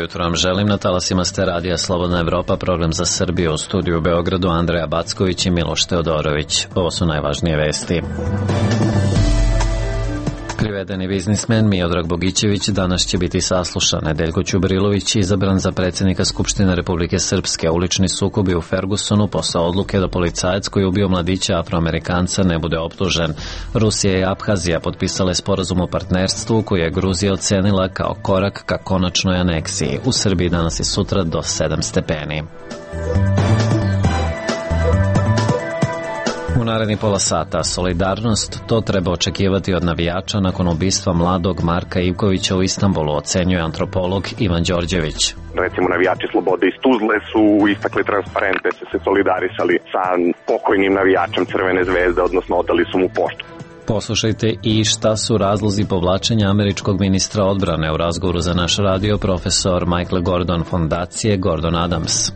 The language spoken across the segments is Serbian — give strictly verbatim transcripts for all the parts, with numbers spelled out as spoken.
jutro vam želim. Na talasima ste radija Slobodna Evropa, program za Srbiju. U studiju u Beogradu Andreja Backović i Miloš Teodorović. Ovo su najvažnije vesti. Privedeni biznismen Miodrag Bogićević danas će biti saslušan. Nedeljko Ćubrilović izabran za predsjednika Skupštine Republike Srpske. Ulični sukobi u Fergusonu posle odluke da policajac koji ubio mladića Afroamerikanca ne bude optužen. Rusija i Abhazija potpisale sporazum o partnerstvu koji je Gruzija ocenila kao korak ka konačnoj aneksiji. U Srbiji danas i sutra do sedam stepeni. U naredni pola sata solidarnost, to treba očekivati od navijača nakon ubistva mladog Marka Ivkovića u Istanbulu, ocenjuje antropolog Ivan Đorđević. Recimo, navijači Slobode iz Tuzle su istakli transparente, su se solidarisali sa pokojnim navijačem Crvene zvezde, odnosno odali su mu poštu. Poslušajte i šta su razlozi povlačenja američkog ministra odbrane. U razgovoru za naš radio profesor Michael Gordon fondacije Gordon Adams.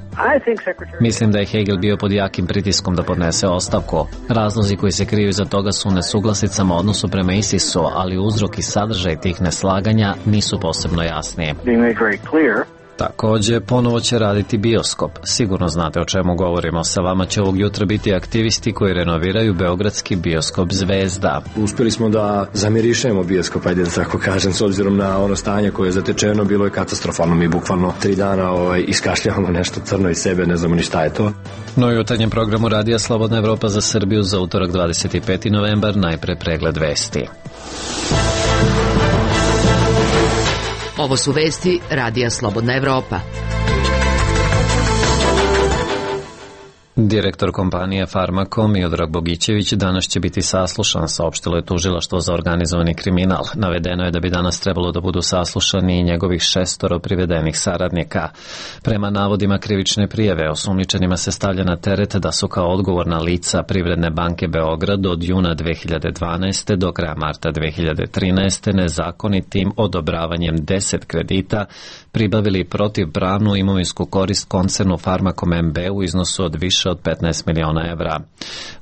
Mislim da je Hegel bio pod jakim pritiskom da podnese ostavku. Razlozi koji se kriju iza toga su u nesuglasicama u odnosu prema ISIS-u, ali uzrok i sadržaj tih neslaganja nisu posebno jasni. Takođe, ponovo će raditi bioskop. Sigurno znate o čemu govorimo. Sa vama će ovog jutra biti aktivisti koji renoviraju beogradski bioskop Zvezda. Uspjeli smo da zamirišemo bioskop, ajde da tako kažem, s obzirom na ono stanje koje je zatečeno, bilo je katastrofalno. Mi bukvalno tri dana ovaj, iskašljavamo nešto crno iz sebe, ne znamo ni šta je to. No i u jutarnjem programu Radija Slobodna Evropa za Srbiju za utorak dvadeset peti novembar, najpre pregled vesti. Ovo su vesti Radija Slobodna Evropa. Direktor kompanije Farmakom Miodrag Bogićević danas će biti saslušan, saopštilo je tužilaštvo za organizovani kriminal. Navedeno je da bi danas trebalo da budu saslušani i njegovih šestoro privedenih saradnika. Prema navodima krivične prijave, osumnjičenima se stavlja na teret da su kao odgovorna lica Privredne banke Beograd od juna dve hiljade dvanaeste. do kraja marta dve hiljade trinaeste. nezakonitim odobravanjem deset kredita pribavili protivpravnu imovinsku korist koncernu Farmakom M B u iznosu od više od petnaest miliona evra.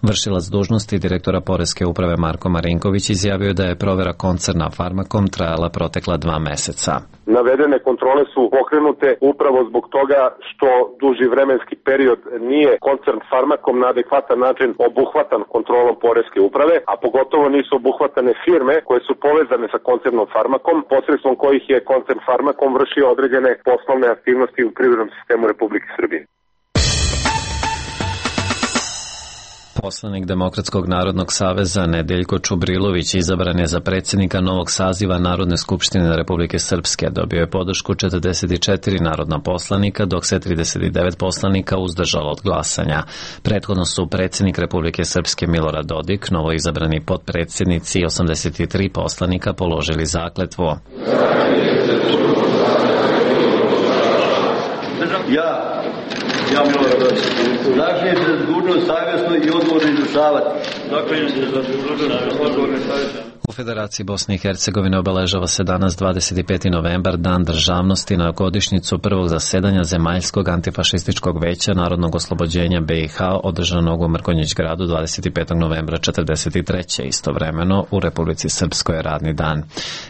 Vršilac dužnosti direktora Poreske uprave Marko Marinković izjavio da je provera koncerna Farmakom trajala protekla dva meseca. Navedene kontrole su pokrenute upravo zbog toga što duži vremenski period nije koncern Farmakom na adekvatan način obuhvatan kontrolom Poreske uprave, a pogotovo nisu obuhvatane firme koje su povezane sa koncernom Farmakom, posredstvom kojih je koncern Farmakom vršio određene poslovne aktivnosti u privrednom sistemu Republike Srbije. Poslanik Demokratskog narodnog saveza Nedeljko Čubrilović izabran je za predsjednika novog saziva Narodne skupštine Republike Srpske. Dobio je podršku četrdeset četiri narodna poslanika, dok se trideset devet poslanika uzdržalo od glasanja. Prethodno su predsjednik Republike Srpske Milorad Dodik, novo izabrani potpredsjednici i osamdeset tri poslanika položili zakletvu. Ja, ja Milorad Dodik, zaklinjem se za dužnost savjesno i odgovorno izvršavati. Zaklinjem se za dužnost odgovorno i savjesno. U Federaciji Bosne i Hercegovine obeležava se danas dvadeset peti novembar, Dan državnosti, na godišnjicu prvog zasedanja Zemaljskog antifašističkog veća Narodnog oslobođenja B i H održanog u Mrkonjić gradu dvadeset petog novembra četrdeset treće. Istovremeno u Republici Srpskoj je radni dan.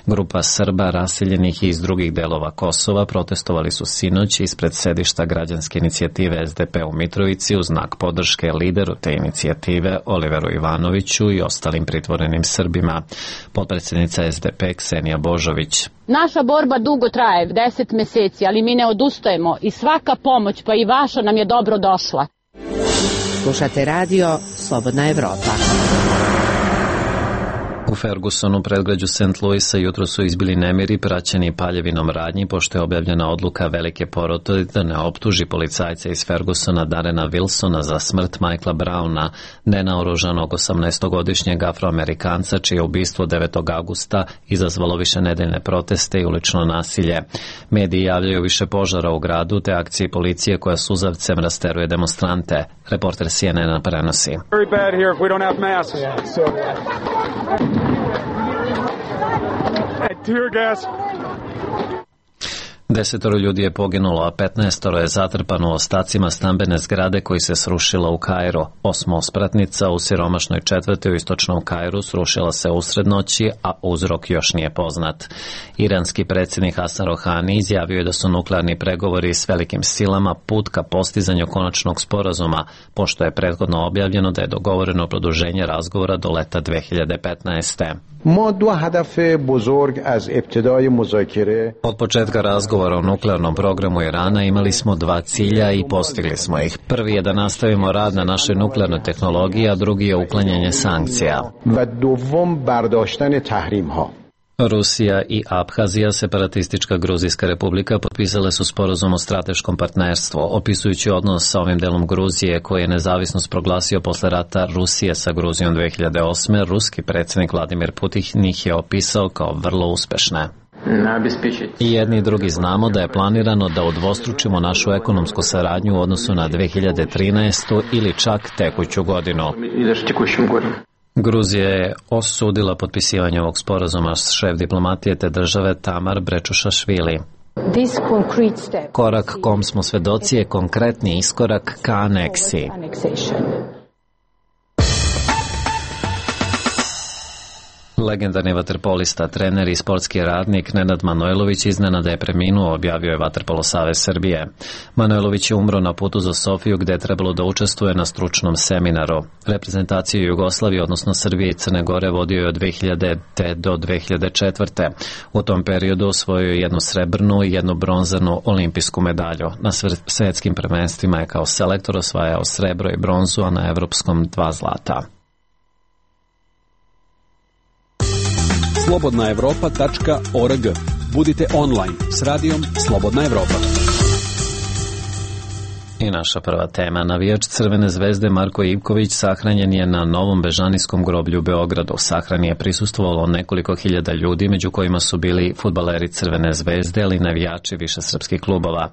Grupa Srba raseljenih iz drugih delova Kosova protestovali su sinoć ispred sedišta građanske inicijative S D P u Mitrovici u znak podrške lideru te inicijative Oliveru Ivanoviću i ostalim pritvorenim Srbima. Potpredsjednica S D P Ksenija Božović. Naša borba dugo traje, deset meseci, ali mi ne odustajemo i svaka pomoć, pa i vaša, nam je dobro došla. Slušate radio Slobodna Evropa. U Fergusonu, predgrađu Saint Louisa, jutro su izbili nemiri praćeni paljevinom radnji, pošto je objavljena odluka velike porote da ne optuži policajca iz Fergusona Darrena Wilsona za smrt Michaela Browna, nenaoružanog osamnaestogodišnjeg Afroamerikanca, čije ubistvo devetog avgusta izazvalo višenedeljne proteste i ulično nasilje. Mediji javljaju više požara u gradu te akcije policije koja suzavcem rasteruje demonstrante. Reporter C N N-a prenosi. Very bad here if we don't have masks. Yeah, so tear gas. Desetoro ljudi je poginulo, a petnaestoro je zatrpano ostacima stambene zgrade koji se srušila u Kairu. Osmospratnica u siromašnoj četvrti u istočnom Kairu srušila se usred noći, a uzrok još nije poznat. Iranski predsjednik Hasan Rohani izjavio je da su nuklearni pregovori s velikim silama put ka postizanju konačnog sporazuma, pošto je prethodno objavljeno da je dogovoreno produženje razgovora do leta dve hiljade petnaeste. Od početka razgovora o nuklearnom programu Irana imali smo dva cilja i postigli smo ih. Prvi je da nastavimo rad na našoj nuklearnoj tehnologiji, a drugi je uklanjanje sankcija. Rusija i Abhazija, separatistička Gruzijska republika, potpisale su sporazum o strateškom partnerstvu. Opisujući odnos sa ovim delom Gruzije, koji je nezavisnost proglasio posle rata Rusije sa Gruzijom dve hiljade osme, ruski predsjednik Vladimir Putin ih je opisao kao vrlo uspešne. I jedni i drugi znamo da je planirano da udvostručimo našu ekonomsku saradnju u odnosu na dve hiljade trinaestu ili čak tekuću godinu. Gruzija je osudila potpisivanje ovog sporazuma s šef diplomatije te države Tamar Brečušašvili. Korak kom smo svedoci je konkretni iskorak ka aneksiji. Legendarni vaterpolista, trener i sportski radnik Nenad Manojlović iznenada je preminuo, objavio je Vaterpolo savez Srbije. Manojlović je umro na putu za Sofiju gde je trebalo da učestvuje na stručnom seminaru. Reprezentaciju Jugoslavije, odnosno Srbije i Crne Gore, vodio je od dve hiljadite do dve hiljade četvrte. U tom periodu osvojio je jednu srebrnu i jednu bronzanu olimpijsku medalju. Na svetskim prvenstvima je kao selektor osvajao srebro i bronzu, a na evropskom dva zlata. slobodna evropa tačka org. Budite online s radijom Slobodna Evropa. I naša prva tema. Navijač Crvene zvezde Marko Ivković sahranjen je na Novom Bežanijskom groblju u Beogradu. Sahrani je prisustvovalo nekoliko hiljada ljudi, među kojima su bili fudbaleri Crvene zvezde, ali i navijači više srpskih klubova.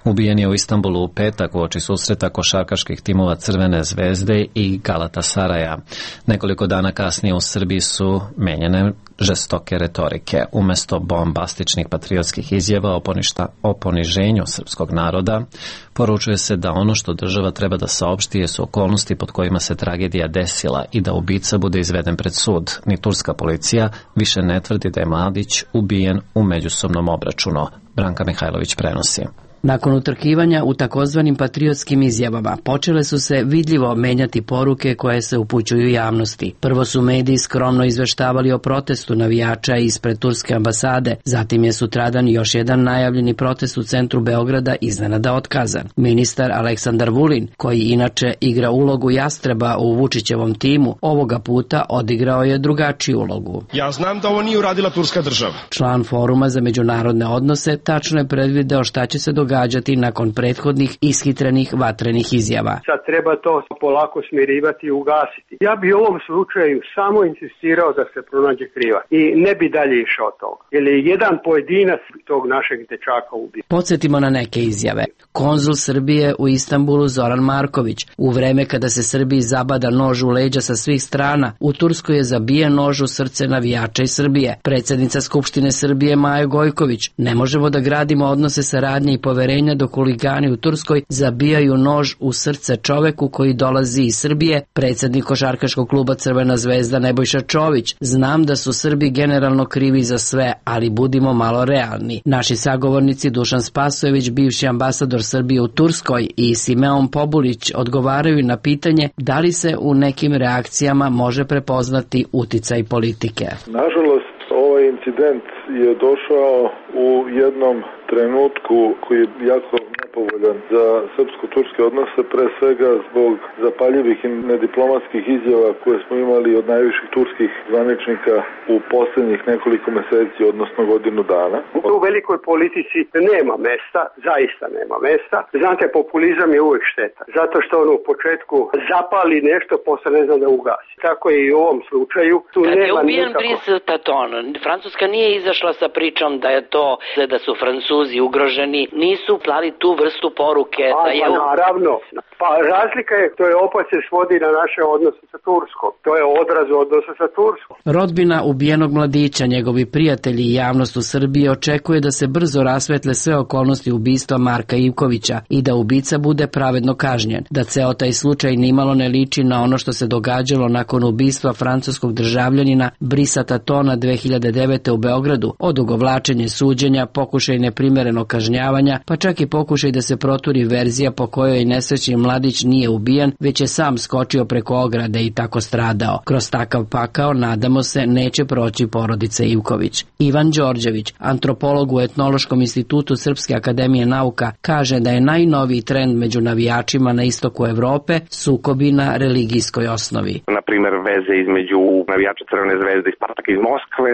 Ubijen je u Istanbulu u petak uoči susreta košarkaških timova Crvene zvezde i Galatasaraja. Nekoliko dana kasnije u Srbiji su menjane žestoke retorike. Umesto bombastičnih patriotskih izjava o, poništa, o poniženju srpskog naroda, poručuje se da ono što država treba da saopšti jesu okolnosti pod kojima se tragedija desila i da ubica bude izveden pred sud. Ni turska policija više ne tvrdi da je Mladić ubijen u međusobnom obračunu. Branka Mihajlović prenosi. Nakon utrkivanja u takozvanim patriotskim izjavama počele su se vidljivo menjati poruke koje se upućuju javnosti. Prvo su mediji skromno izveštavali o protestu navijača ispred turske ambasade, zatim je sutradan još jedan najavljeni protest u centru Beograda iznenada otkazan. Ministar Aleksandar Vulin, koji inače igra ulogu jastreba u Vučićevom timu, ovoga puta odigrao je drugačiju ulogu. Ja znam da ovo nije uradila turska država. Član Foruma za međunarodne odnose tačno je predvideo šta će se događati događati nakon prethodnih ishitrenih vatrenih izjava. Sad treba to polako smirivati i ugasiti. Ja bi u ovom slučaju samo insistirao da se pronađe krivac i ne bi dalje išao od toga. Jer je jedan pojedinac tog našeg dečaka ubio. Podsjetimo na neke izjave. Konzul Srbije u Istanbulu Zoran Marković. U vreme kada se Srbiji zabada nož u leđa sa svih strana, u Turskoj je zabijen nož u srce navijača iz Srbije. Predsjednica Skupštine Srbije Maja Gojković. Ne možemo da gradimo odnose saradnje i poverenja dok huligani u Turskoj zabijaju nož u srce čoveku koji dolazi iz Srbije. Predsjednik košarkaškog kluba Crvena zvezda Nebojša Čović. Znam da su Srbi generalno krivi za sve, ali budimo malo realni. Naši sagovornici Dušan Spasojević, bivši ambasador Srbije u Turskoj, i Simeon Pobulić odgovaraju na pitanje da li se u nekim reakcijama može prepoznati uticaj politike. Nažalost, ovaj incident je došao u jednom trenutku koji je jako nepovoljan za srpsko-turske odnose, pre svega zbog zapaljivih i nediplomatskih izjava koje smo imali od najviših turskih zvaničnika u posljednjih nekoliko meseci, odnosno godinu dana. U velikoj politici nema mesta, zaista nema mesta. Znate, populizam je uvijek šteta, zato što on u početku zapali nešto, posle ne zna da ugasi. Tako je i u ovom slučaju. Tu Kad nema je ubijen nikako... Brice Patton, Francuska nije izašla sa pričom da je to, da su Francuzi ugroženi, nisu plali tu vrstu poruke. A, da je... pa naravno, Pa razlika je, to je opet se svodi na naše odnose sa Turskom. To je odraz odnosa sa Turskom. Rodbina ubijenog mladića, njegovi prijatelji i javnost u Srbiji očekuje da se brzo rasvetle sve okolnosti ubistva Marka Ivkovića i da ubica bude pravedno kažnjen. Da ceo taj slučaj nimalo ne liči na ono što se događalo nakon ubistva francuskog državljanina Brisa Tatona dve hiljade devete u Beogradu, odugovlačenje suđenja, pokušaj neprimerenog kažnjavanja, pa čak i pokušaj da se proturi verzija po kojoj nesrećni mladić nije ubijen, već je sam skočio preko ograde i tako stradao. Kroz takav pakao, nadamo se, neće proći porodica Ivković. Ivan Đorđević, antropolog u Etnološkom institutu Srpske akademije nauka, kaže da je najnoviji trend među navijačima na istoku Evrope sukobi na religijskoj osnovi. Na primer, veze između navijača Crvene zvezde i Spartaka iz Moskve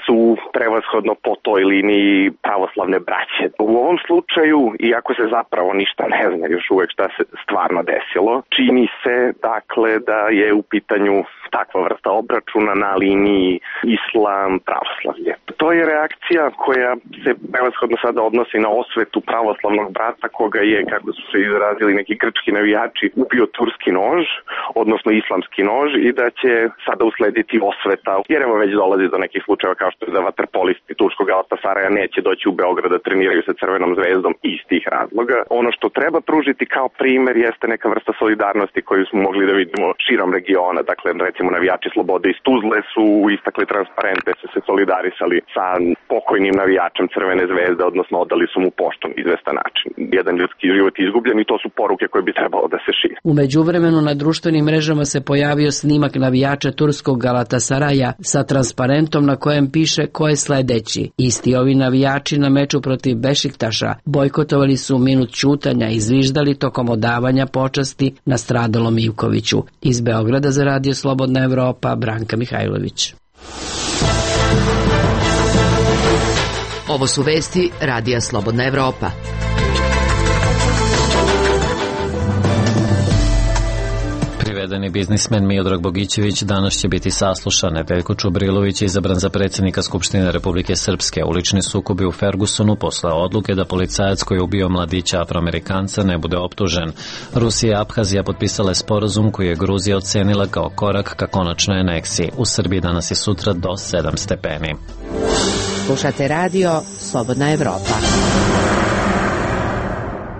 su prevashodno po toj liniji pravoslavne braće. U ovom slučaju, iako se zapravo ništa ne zna još uvek šta se stvarno desilo, čini se dakle da je u pitanju takva vrsta obračuna na liniji islam pravoslavlje. To je reakcija koja se prevashodno sada odnosi na osvetu pravoslavnog brata koga je, kako su se izrazili neki grčki navijači, ubio turski nož, odnosno islamski nož, i da će sada uslediti osveta, jer evo već dolazi do nekih slučajeva kao što je da vaterpolisti turskog Galatasaraja neće doći u Beograd da treniraju sa Crvenom zvezdom iz tih razloga. Ono što treba pružiti kao primer jeste neka vrsta solidarnosti koju smo mogli da vidimo širom regiona. Dakle, recimo navijači Slobode iz Tuzle su istakli transparente, su se solidarisali sa pokojnim navijačem Crvene zvezde, odnosno odali su mu poštom izvestan način. Jedan ljudski život je izgubljen i to su poruke koje bi trebalo da se šire. U međuvremenu na društvenim mrežama se pojavio snimak navijača turskog Galatasaraja sa transparentom na kojem piše ko je sledeći. Isti ovi navijači na meču protiv Bešiktaša bojkotovali su minut ćutanja i zviždali tokom odavanja počasti nastradalom Ivkoviću. Iz Beograda za Radio Slobodna Evropa, Branka Mihajlović. Ovo su vesti Radija Slobodna Evropa. Privedeni biznismen Miodrag Bogićević danas će biti saslušan. Veljko Čubrilović je izabran za predsjednika Skupštine Republike Srpske. Ulični sukobi u Fergusonu posle odluke da policajac koji je ubio mladića Afroamerikanca ne bude optužen. Rusija i Abhazija potpisale sporazum koji je Gruzija ocenila kao korak ka konačnoj aneksiji. U Srbiji danas i sutra do sedam stepeni. Slušate radio Slobodna Evropa.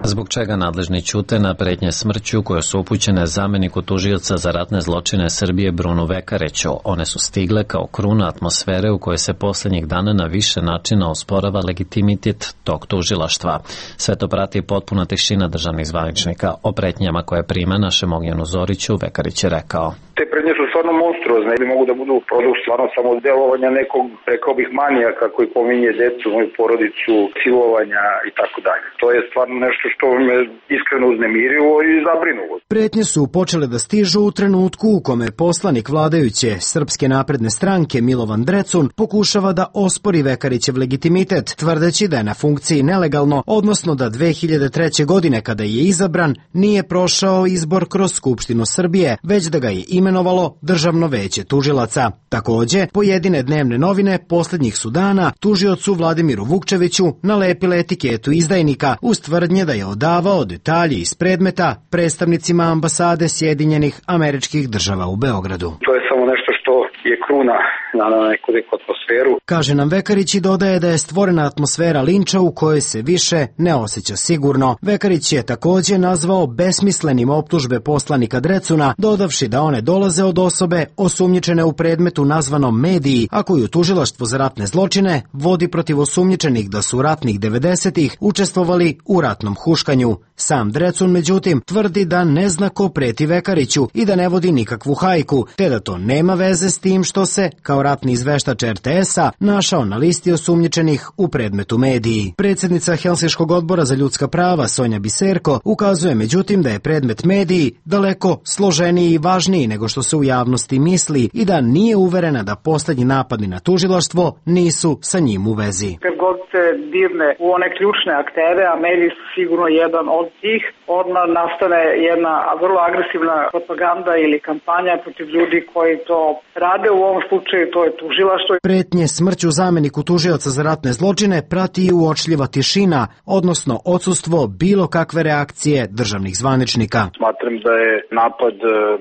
Zbog čega nadležni ćute na pretnje smrću koje su upućene zameniku tužioca za ratne zločine Srbije Brunu Vekareću. One su stigle kao kruna atmosfere u kojoj se posljednjih dana na više načina osporava legitimitet tog tužilaštva. Sve to prati potpuna tišina državnih zvaničnika. O pretnjama koje prime našem Ognjenu Zoriću Vekarić je rekao. Te prednje su stvarno monstruozne ili mogu da budu produkt stvarno samo delovanja nekog, rekao bih, manijaka koji pominje decu, moju porodicu, silovanja i tako dalje. To je stvarno nešto što me iskreno uznemirilo i zabrinulo. Pretnje su počele da stižu u trenutku u kome poslanik vladajuće Srpske napredne stranke Milovan Drecun pokušava da ospori Vekarićev legitimitet, tvrdeći da je na funkciji nelegalno, odnosno da dve hiljade treće. godine kada je izabran nije prošao izbor kroz Skupštinu Srbije, već da ga je imenovalo Državno veće tužilaca. Takođe, pojedine dnevne novine posljednjih su dana tužiocu Vladimiru Vukčeviću nalepile etiketu izdajnika uz tvrdnje da je odavao detalje iz predmeta predstavnicima ambasade Sjedinjenih Američkih Država u Beogradu. To je samo nešto što je kruna na neku neku atmosferu. Kaže nam Vekarić i dodaje da je stvorena atmosfera linča u kojoj se više ne osjeća sigurno. Vekarić je takođe nazvao besmislenim optužbe poslanika Drecuna, dodavši da one dolaze od osobe osumnjičene u predmetu nazvanom Mediji, a koju tužilaštvo za ratne zločine vodi protiv osumnjičenih da su ratnih devedesetih učestvovali u ratnom huškanju. Sam Drecun, međutim, tvrdi da ne zna ko preti Vekariću i da ne vodi nikakvu hajku, te da to nema veze s tim što se, kao ratni izveštač er te esa, našao na listi osumnjičenih u predmetu Mediji. Predsjednica Helsinškog odbora za ljudska prava Sonja Biserko ukazuje međutim da je predmet Mediji daleko složeniji i važniji nego što se u javnosti misli i da nije uverena da poslednji napadi na tužilaštvo nisu sa njim u vezi. Kad god se dirne u one ključne aktere, a mediji su sigurno jedan od tih, odmah nastane jedna vrlo agresivna propaganda ili kampanja protiv ljudi koji to rade. U ovom slučaju to je tužilaštvo. Pretnje smrću zameniku tužioca za ratne zločine prati i uočljiva tišina, odnosno odsustvo bilo kakve reakcije državnih zvaničnika. Smatram da je napad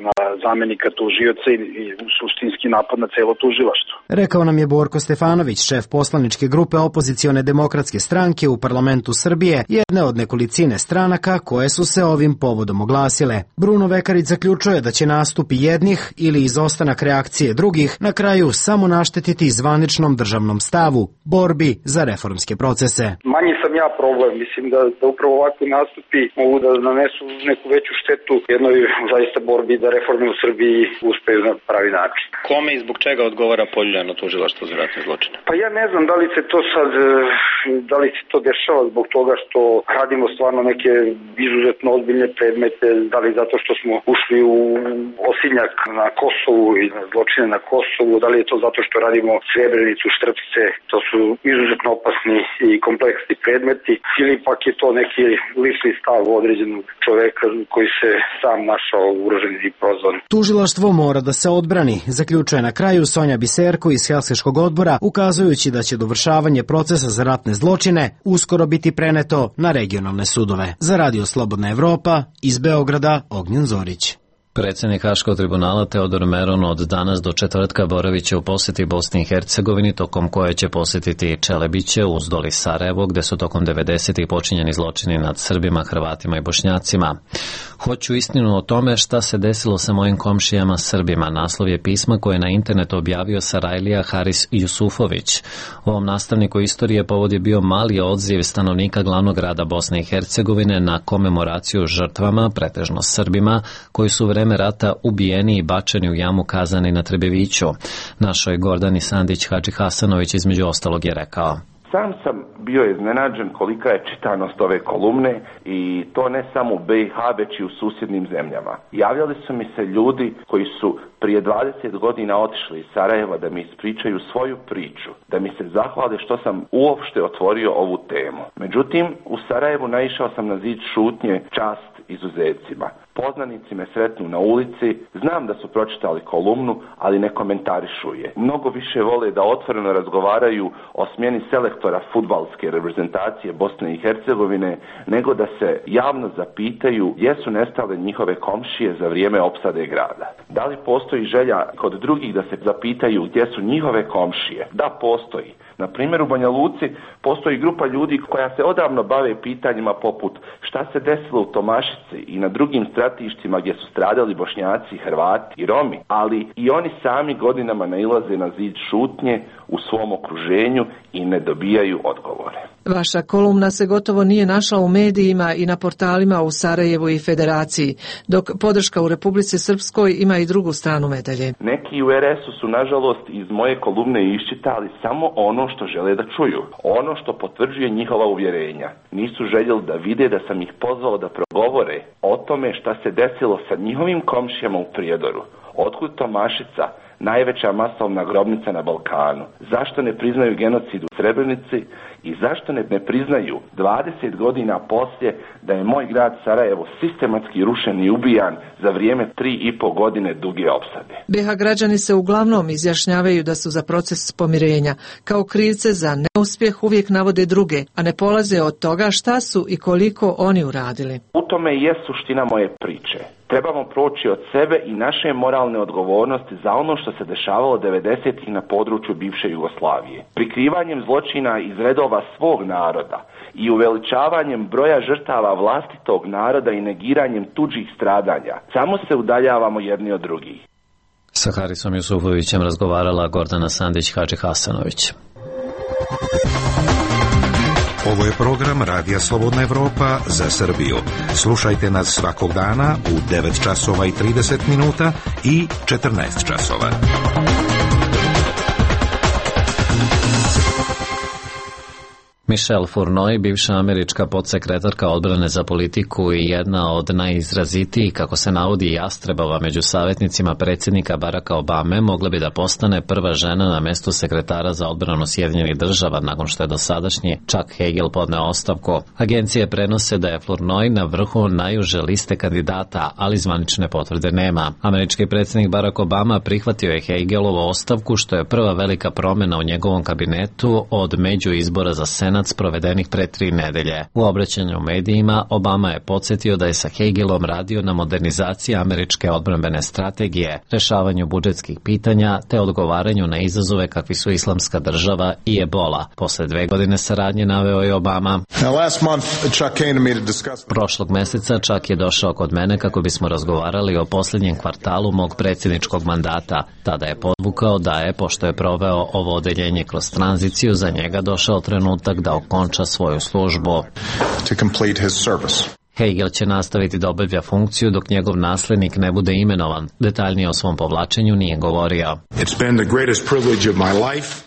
na zamenika tužioca i suštinski napad na celo tužilaštvo. Rekao nam je Borko Stefanović, šef poslaničke grupe opozicione demokratske stranke u parlamentu Srbije, jedne od nekolicine stranaka koje su se ovim povodom oglasile. Bruno Vekarić zaključuje da će nastupi jednih ili izostanak reakcije drugih na kraju samo naštetiti zvaničnom državnom stavu, borbi za reformske procese. Manji sam ja problem, mislim da, da upravo ovakvi nastupi mogu da nanesu neku veću štetu jednoj zaista borbi da reforme u Srbiji uspeju na pravi način. Kome i zbog čega odgovara poljuljano tužilaštvo za ratne zločine? Pa ja ne znam da li se to sad, da li se to dešava zbog toga što radimo stvarno neke izuzetno ozbiljne predmete, da li zato što smo ušli u osinjak na Kosovu i na zločine na Kosovu, da li je to zato što radimo Srebrenicu, Štrpce, to su izuzetno opasni i kompleksni predmeti, ili pak je to neki lični stav određenog čoveka koji se sam našao ugrožen i prozvan. Tužilaštvo mora da se odbrani, zaključuje na kraju Sonja Biserko iz Helsinškog odbora, ukazujući da će dovršavanje procesa za ratne zločine uskoro biti preneto na regionalne sudove. Za Radio Slobodna Evropa, iz Beograda, Ognjen Zorić. Predsjednik Haškog tribunala Teodor Meron od danas do četvrtka boravit će u posjeti Bosni i Hercegovini, tokom koje će posjetiti Čelebiće, Uzdol i Sarajevo, gde su tokom devedesetih počinjeni zločini nad Srbima, Hrvatima i Bošnjacima. Hoću istinu o tome šta se desilo sa mojim komšijama Srbima. Naslov je pisma koje je na internetu objavio Sarajlija Haris Jusufović. Ovom nastavniku istorije povod je bio mali odziv stanovnika glavnog grada Bosne i Hercegovine na komemoraciju žrtvama, pretežno Srbima, koji su u vreme rata ubijeni i bačeni u jamu Kazani na Trebeviću. Našoj Gordani Sandić Hadži Hasanović između ostalog je rekao: Sam sam bio iznenađen kolika je čitanost ove kolumne i to ne samo u B i H već i u susjednim zemljama. Javljali su mi se ljudi koji su prije dvadeset godina otišli iz Sarajeva da mi ispričaju svoju priču, da mi se zahvale što sam uopšte otvorio ovu temu. Međutim, u Sarajevu naišao sam na zid šutnje, čast izuzecima. Poznanici me sretnu na ulici, znam da su pročitali kolumnu, ali ne komentarišu je. Mnogo više vole da otvoreno razgovaraju o smjeni selektora fudbalske reprezentacije Bosne i Hercegovine, nego da se javno zapitaju gdje su nestale njihove komšije za vrijeme opsade grada. Da li postoji želja kod drugih da se zapitaju gdje su njihove komšije? Da, postoji. Na primjer, u Banja Luci postoji grupa ljudi koja se odavno bave pitanjima poput šta se desilo u Tomašici i na drugim stratištima gdje su stradali Bošnjaci, Hrvati i Romi, ali i oni sami godinama nailaze na zid šutnje u svom okruženju i ne dobijaju odgovore. Vaša kolumna se gotovo nije našla u medijima i na portalima u Sarajevu i Federaciji, dok podrška u Republici Srpskoj ima i drugu stranu medalje. Neki u R S-u su nažalost iz moje kolumne iščitali samo ono što žele da čuju, ono što potvrđuje njihova uvjerenja. Nisu željeli da vide da sam ih pozvao da progovore o tome šta se desilo sa njihovim komšijama u Prijedoru. Otkud Tomašica, najveća masovna grobnica na Balkanu? Zašto ne priznaju genocid u Srebrenici i zašto ne, ne priznaju dvadeset godina poslije da je moj grad Sarajevo sistematski rušen i ubijan za vrijeme tri i po godine duge opsade? B H građani se uglavnom izjašnjavaju da su za proces pomirenja. Kao krivce za neuspjeh uvijek navode druge, a ne polaze od toga šta su i koliko oni uradili. U tome je suština moje priče. Trebamo proći od sebe i naše moralne odgovornosti za ono što se dešavalo devedesetih na području bivše Jugoslavije. Prikrivanjem zločina iz redova svog naroda i uveličavanjem broja žrtava vlastitog naroda i negiranjem tuđih stradanja samo se udaljavamo jedni od drugih. Sa Harisom Jusufovićem razgovarala Gordana Sandić Hadži Hasanović. Ovo je program Radija Slobodna Evropa za Srbiju. Slušajte nas svakog dana u devet časova i trideset minuta i četrnaest časova. Michelle Fournoy, bivša američka podsekretarka odbrane za politiku i jedna od najizrazitijih, kako se navodi, jastrebova među savjetnicima predsjednika Baracka Obame, mogla bi da postane prva žena na mestu sekretara za odbranu Sjedinjenih država nakon što je dosadašnji Chuck Hagel podneo ostavku. Agencije prenose da je Fournoy na vrhu najuže liste kandidata, ali zvanične potvrde nema. Američki predsjednik Barack Obama prihvatio je Hagelovu ostavku, što je prva velika promjena u njegovom kabinetu od među izbora za Senat provedenih pre tri nedelje. U obraćanju medijima Obama je podsjetio da je sa Hagelom radio na modernizaciji američke odbrambene strategije, rešavanju budžetskih pitanja te odgovaranju na izazove kakvi su Islamska država i Ebola. Posle dve godine saradnje, naveo je Obama. Prošlog meseca Chuck je došao kod mene kako bismo razgovarali o posljednjem kvartalu mog predsjedničkog mandata. Tada je podvukao da je, pošto je proveo ovo odeljenje kroz tranziciju, za njega došao trenutak da okonča svoju službu. Hagel će nastaviti da obavlja funkciju dok njegov naslednik ne bude imenovan. Detaljnije o svom povlačenju nije govorio.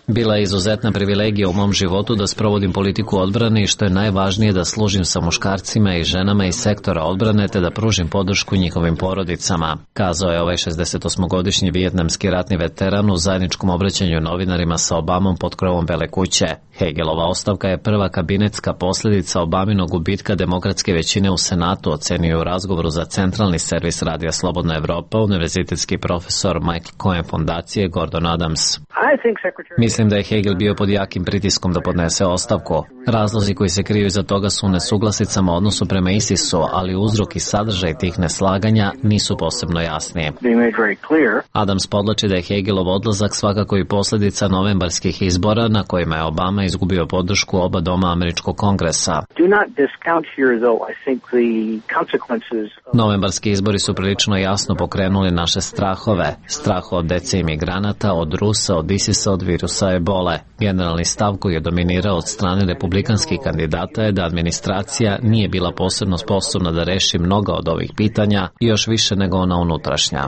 Bila je izuzetna privilegija u mom životu da sprovodim politiku odbrane i što je najvažnije da služim sa muškarcima i ženama iz sektora odbrane te da pružim podršku njihovim porodicama, kazao je ovaj šezdesetosmogodišnji vijetnamski ratni veteran u zajedničkom obraćanju novinarima sa Obamom pod krovom Bele kuće. Hagelova ostavka je prva kabinetska posljedica Obaminog gubitka demokratske većine u Senatu, ocenio u razgovoru za centralni servis Radija Slobodna Evropa univerzitetski profesor Michael Cohen fondacije Gordon Adams. Mislim da je Hagel bio pod jakim pritiskom da podnese ostavku. Razlozi koji se kriju iza toga su u nesuglasicama odnosu prema ISIS-u, ali uzrok i sadržaj tih neslaganja nisu posebno jasni. Adams podlači da je Hagelov odlazak svakako i posljedica novembarskih izbora na kojima je Obama izgubio podršku oba doma američkog kongresa. Novembarski izbori su prilično jasno pokrenuli naše strahove. Strah od dece imigranata, od Rusa, od ISIS-a, od virusa Ebole. Generalni stav koji je dominirao od strane republikanskih kandidata je da administracija nije bila posebno sposobna da reši mnoga od ovih pitanja i još više nego ona unutrašnja.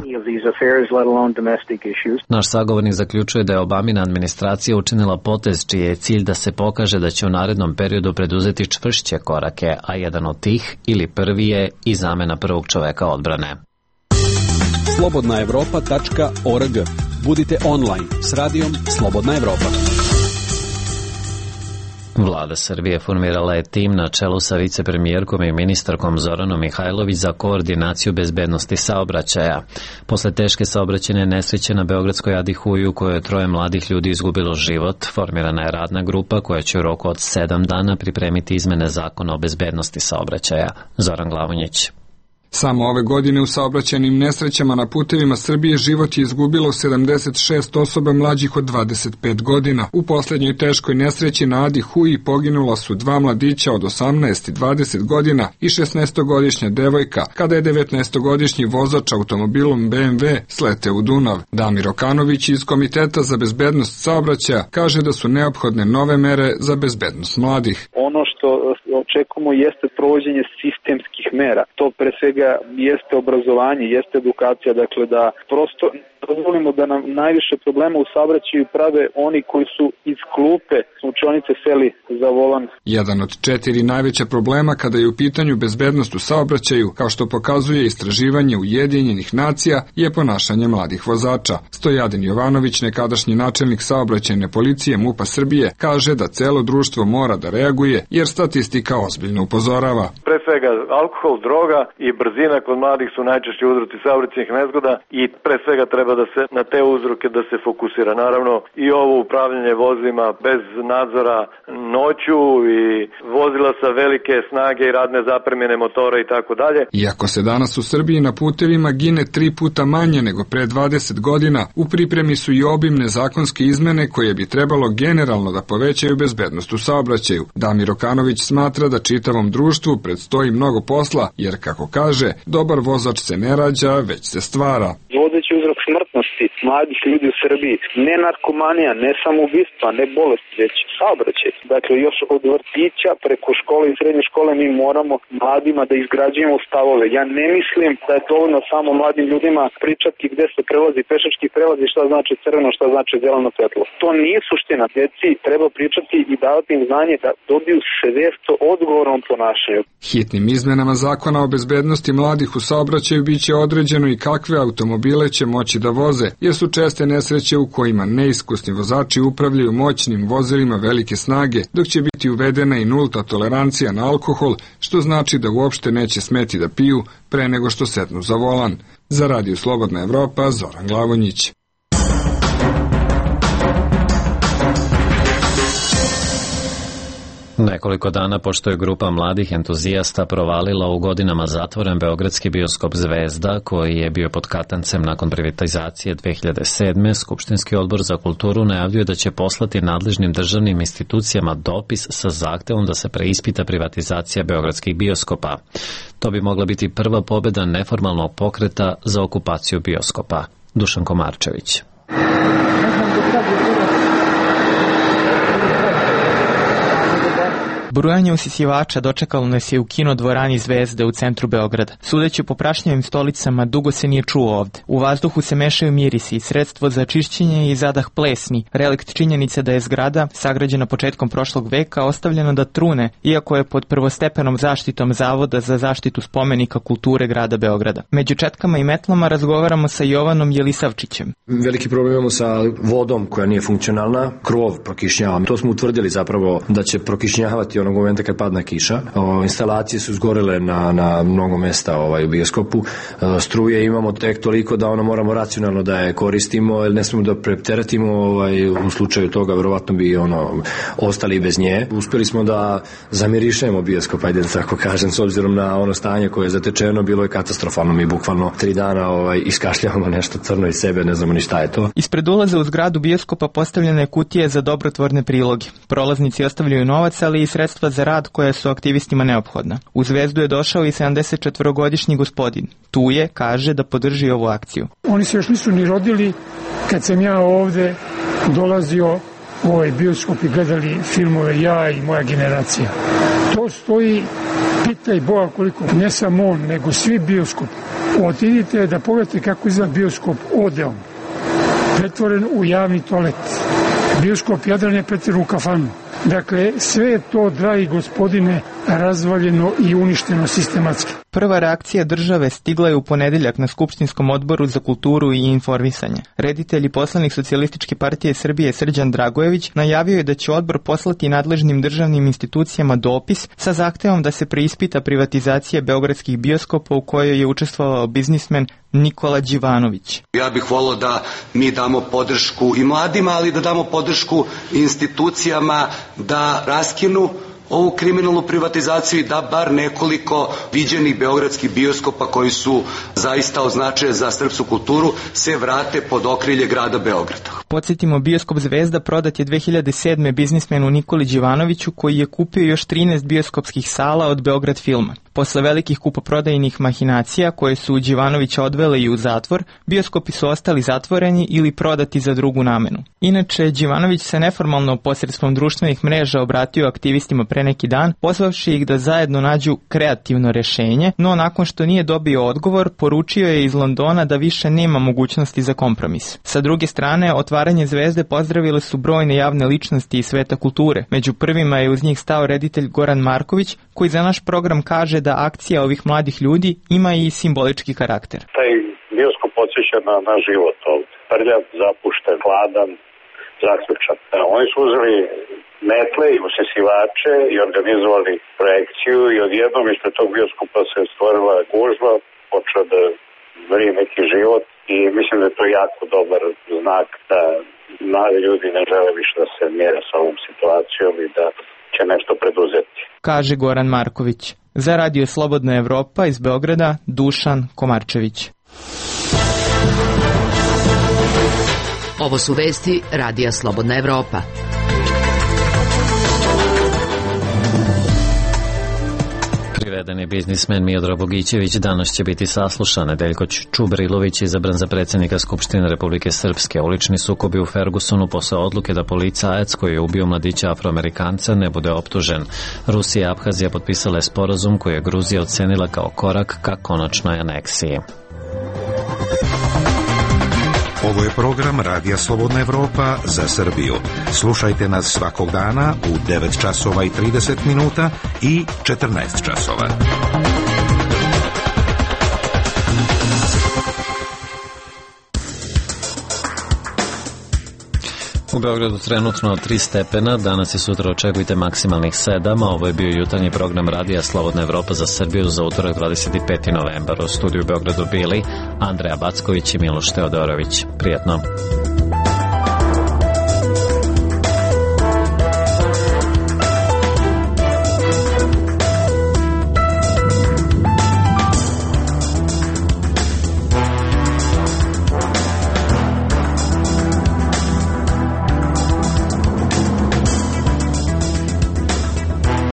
Naš sagovornik zaključuje da je Obamina administracija učinila potez čiji je cilj da se pokaže da će u narednom periodu preduzeti čvršće korake, a jedan od tih ili prvi je i zamena prvog čoveka odbrane. slobodna evropa tačka org. Budite online s radijom Slobodna Evropa. Vlada Srbije formirala je tim na čelu sa vicepremijerkom i ministarkom Zoranom Mihajlović za koordinaciju bezbednosti saobraćaja. Posle teške saobraćajne nesreće na beogradskoj Adi Huji u kojoj je troje mladih ljudi izgubilo život, formirana je radna grupa koja će u roku od sedam dana pripremiti izmene zakona o bezbednosti saobraćaja. Zoran Glavonjić. Samo ove godine u saobraćajnim nesrećama na putevima Srbije život je izgubilo sedamdeset šest osoba mlađih od dvadeset pet godina. U posljednjoj teškoj nesreći na Adi Huji poginula su dva mladića od osamnaest i dvadeset godina i šesnaestogodišnja devojka, kada je devetnaestogodišnji vozač automobilom B M W sleteo u Dunav. Damir Okanović iz Komiteta za bezbednost saobraćaja kaže da su neophodne nove mere za bezbednost mladih. Ono što očekujemo jeste provođenje sistemskih mera. To pre svega jeste obrazovanje, jeste edukacija, dakle da prosto dozvolimo da nam najviše problema u saobraćaju prave oni koji su iz klupe učionice seli za volan. Jedan od četiri najveća problema kada je u pitanju bezbednost u saobraćaju, kao što pokazuje istraživanje Ujedinjenih nacija, je ponašanje mladih vozača. Stojadin Jovanović, nekadašnji načelnik saobraćajne policije MUP-a Srbije, kaže da celo društvo mora da reaguje jer statistika ozbiljno upozorava. Pre svega alkohol, droga i brzina kod mladih su najčešći uzroci saobraćajnih nezgoda i pre svega treba da se na te uzroke da se fokusira. Naravno i ovo upravljanje vozilima bez nadzora noću i vozila sa velike snage i radne zapremine motora i tako dalje. Iako se danas u Srbiji na putevima gine tri puta manje nego pre dvadeset godina, u pripremi su i obimne zakonske izmene koje bi trebalo generalno da povećaju bezbednost u saobraćaju. Damir Okanović smatra da čitavom društvu predstoji mnogo posla, jer kako kaže, dobar vozač se ne rađa, već se stvara. Vodeći uzrok smrtnosti smrti mladih ljudi u Srbiji. Ne narkomanija, ne samoubistva, ne bolest, već saobraćaj. Dakle, još od vrtića preko škole i srednje škole mi moramo mladima da izgrađujemo stavove. Ja ne mislim da je dovoljno samo mladim ljudima pričati gde se prelazi pešački prelazi, šta znači crveno, šta znači zeleno svetlo. To nije suština. Deci treba pričati i davati im znanje da dobiju svest o odgovornom ponašanju. Hitnim izmenama zakona o bezbednosti mladih u saobraćaju biće određeno i kakve automobile će moći da voze, jer su česte nesreće u kojima neiskusni vozači upravljaju moćnim vozilima velike snage, dok će biti uvedena i nulta tolerancija na alkohol, što znači da uopšte neće smeti da piju pre nego što setnu za volan. Za Radio Slobodna Evropa, Zoran Glavonjić. Nekoliko dana pošto je grupa mladih entuzijasta provalila u godinama zatvoren beogradski bioskop Zvezda, koji je bio pod katancem nakon privatizacije dve hiljade sedme, Skupštinski odbor za kulturu najavljuje da će poslati nadležnim državnim institucijama dopis sa zahtevom da se preispita privatizacija beogradskih bioskopa. To bi mogla biti prva pobjeda neformalnog pokreta za okupaciju bioskopa. Dušan Komarčević. Brujanje usisivača dočekalo nas je u kino dvorani Zvezde u centru Beograda. Sudeći po prašnjavim stolicama, dugo se nije čuo ovde. U vazduhu se mešaju mirisi i sredstvo za čišćenje i zadah plesni, relikt činjenice da je zgrada, sagrađena početkom prošlog veka, ostavljena da trune, iako je pod prvostepenom zaštitom Zavoda za zaštitu spomenika kulture grada Beograda. Među četkama i metlama razgovaramo sa Jovanom Jelisavčićem. Veliki problem imamo sa vodom koja nije funkcionalna, krov prokišnjava. To smo utvrdili zapravo da će prokišnjavati onog momenta kad padne kiša. O, instalacije su zgorele na, na mnogo mesta ovaj, u bioskopu. O, struje imamo tek toliko da ono moramo racionalno da je koristimo, jer ne smemo da preteratimo ovaj, u slučaju toga, verovatno bi ono ostali bez nje. Uspeli smo da zamirišemo bioskop, ajde da tako kažem, s obzirom na ono stanje koje je zatečeno, bilo je katastrofalno. Mi bukvalno tri dana ovaj, iskašljavamo nešto crno iz sebe, ne znamo ni šta je to. Ispred ulaza u zgradu bioskopa postavljena je kutije za dobrotvorne priloge. Prolaznici ostavljaju novac, ali i sredstva za rad koja su aktivistima neophodna. U Zvezdu je došao i sedamdesetčetvorogodišnji gospodin. Tu je, kaže, da podrži ovu akciju. Oni se još nisu ni rodili kad sam ja ovde dolazio u ovaj bioskop i gledali filmove ja i moja generacija. To stoji, pitaj Boga koliko, ne samo on, nego svi bioskopi. Otidite da pogledate kako izgleda bioskop Odeon, pretvoren u javni toalet. Bioskop Jadran je pretvoren u kafanu. Dakle, sve je to, dragi gospodine, razvaljeno i uništeno sistematski. Prva reakcija države stigla je u ponedeljak na Skupštinskom odboru za kulturu i informisanje. Reditelj i poslanik Socijalističke partije Srbije Srđan Dragojević najavio je da će odbor poslati nadležnim državnim institucijama dopis sa zahtevom da se preispita privatizacija beogradskih bioskopa u kojoj je učestvovao biznismen Nikola Đivanović. Ja bih volio da mi damo podršku i mladima, ali da damo podršku institucijama da raskinu ovu kriminalnu privatizaciju i da bar nekoliko viđenih beogradskih bioskopa koji su zaista označene za srpsku kulturu se vrate pod okrilje grada Beograda. Podsjetimo, bioskop Zvezda prodat je dve hiljade sedme biznismenu Nikoli Đivanoviću, koji je kupio još trinaest bioskopskih sala od Beograd filma. Posle velikih kupoprodajnih mahinacija koje su Đivanovića odvele i u zatvor, bioskopi su ostali zatvoreni ili prodati za drugu namenu. Inače, Đivanović se neformalno posredstvom društvenih mreža obratio aktivistima pre neki dan, pozvavši ih da zajedno nađu kreativno rešenje, no nakon što nije dobio odgovor, poručio je iz Londona da više nema mogućnosti za kompromis. Sa druge strane, otvaranje Zvezde pozdravile su brojne javne ličnosti iz sveta kulture. Među prvima je uz njih stao reditelj Goran Marković, koji za naš program kaže da akcija ovih mladih ljudi ima i simbolički karakter. Taj bioskop podsjeća na, na život ovdje. Prljav, zapušten, hladan, zaključan. Oni su uzeli metle i usisivače i organizovali projekciju i odjednom ispred tog bioskopa se stvorila gužva, počeo da vrije neki život i mislim da je to jako dobar znak da mladi ljudi ne žele više da se mjere sa ovom situacijom i da će nešto preduzeti. Kaže Goran Marković. Za Radio Slobodna Evropa iz Beograda, Dušan Komarčević. Ovo su vesti Radija Slobodna Evropa. Navedeni biznismen Miodrag Bogićević danas će biti saslušan. Nedeljko Čubrilović izabran za predsjednika Skupštine Republike Srpske. Ulični sukobi u Fergusonu posle odluke da policajac koji je ubio mladića Afroamerikanca ne bude optužen. Rusija i Abhazija potpisale sporazum koji je Gruzija ocenila kao korak ka konačnoj aneksiji. Ovo je program Radija Slobodna Evropa za Srbiju. Slušajte nas svakog dana u devet časova i trideset minuta i četrnaest časova. U Beogradu trenutno tri stepena, danas i sutra očekujte maksimalnih sedam, a ovo je bio jutarnji program Radija Slobodna Evropa za Srbiju za utorak dvadeset peti novembar. U studiju u Beogradu bili Andreja Backović i Miloš Teodorović. Prijetno.